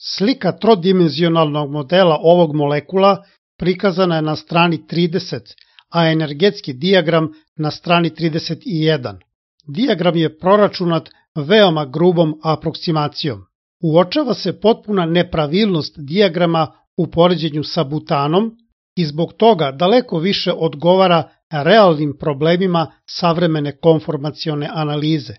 Slika trodimenzionalnog modela ovog molekula prikazana je na strani 30, a energetski dijagram na strani 31. Dijagram je proračunat veoma grubom aproksimacijom. Uočava se potpuna nepravilnost dijagrama u poređenju sa butanom i zbog toga daleko više odgovara realnim problemima savremene konformacione analize.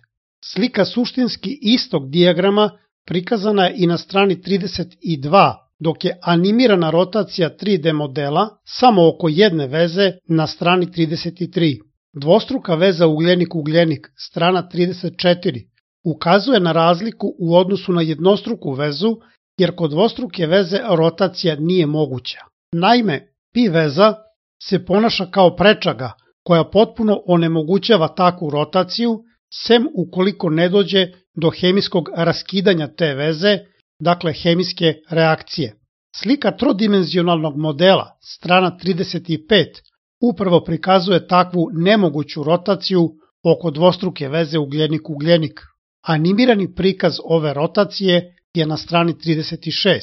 Slika suštinski istog dijagrama prikazana je i na strani 32, dok je animirana rotacija 3D modela samo oko jedne veze na strani 33. Dvostruka veza ugljenik-ugljenik, strana 34, ukazuje na razliku u odnosu na jednostruku vezu, jer kod dvostruke veze rotacija nije moguća. Naime, pi veza se ponaša kao prečaga koja potpuno onemogućava takvu rotaciju, sem ukoliko ne dođe do hemijskog raskidanja te veze, dakle hemijske reakcije. Slika trodimenzionalnog modela, strana 35, upravo prikazuje takvu nemoguću rotaciju oko dvostruke veze ugljenik-ugljenik. Animirani prikaz ove rotacije je na strani 36.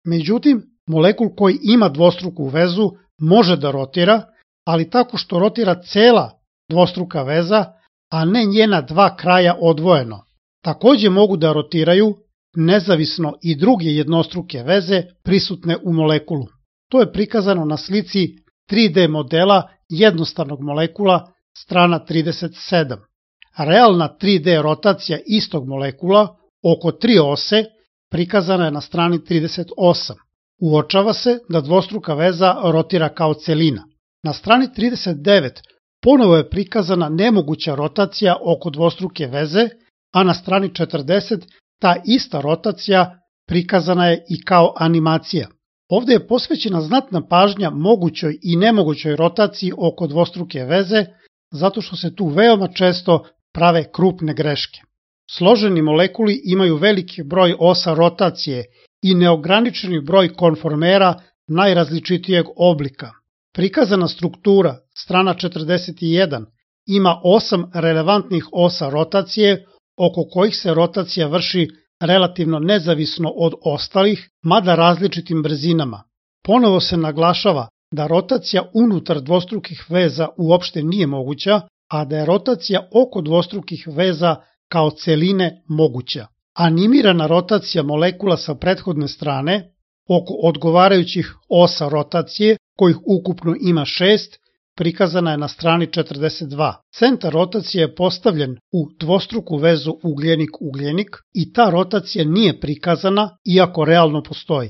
Međutim, molekul koji ima dvostruku vezu može da rotira, ali tako što rotira cela dvostruka veza, a ne njena dva kraja odvojeno. Takođe mogu da rotiraju nezavisno i druge jednostruke veze prisutne u molekulu. To je prikazano na slici 3D modela jednostavnog molekula, strana 37. Realna 3D rotacija istog molekula oko 3 ose prikazana je na strani 38. Uočava se da dvostruka veza rotira kao celina. Na strani 39 ponovo je prikazana nemoguća rotacija oko dvostruke veze, a na strani 40 ta ista rotacija prikazana je i kao animacija. Ovde je posvećena znatna pažnja mogućoj i nemogućoj rotaciji oko dvostruke veze, zato što se tu veoma često prave krupne greške. Složeni molekuli imaju veliki broj osa rotacije i neograničeni broj konformera najrazličitijeg oblika. Prikazana struktura, strana 41, ima 8 relevantnih osa rotacije, oko kojih se rotacija vrši relativno nezavisno od ostalih, mada različitim brzinama. Ponovo se naglašava da rotacija unutar dvostrukih veza uopšte nije moguća, a da je rotacija oko dvostrukih veza kao celine moguća. Animirana rotacija molekula sa prethodne strane, oko odgovarajućih osa rotacije, kojih ukupno ima 6, prikazana je na strani 42. Centar rotacije je postavljen u dvostruku vezu ugljenik-ugljenik i ta rotacija nije prikazana, iako realno postoji.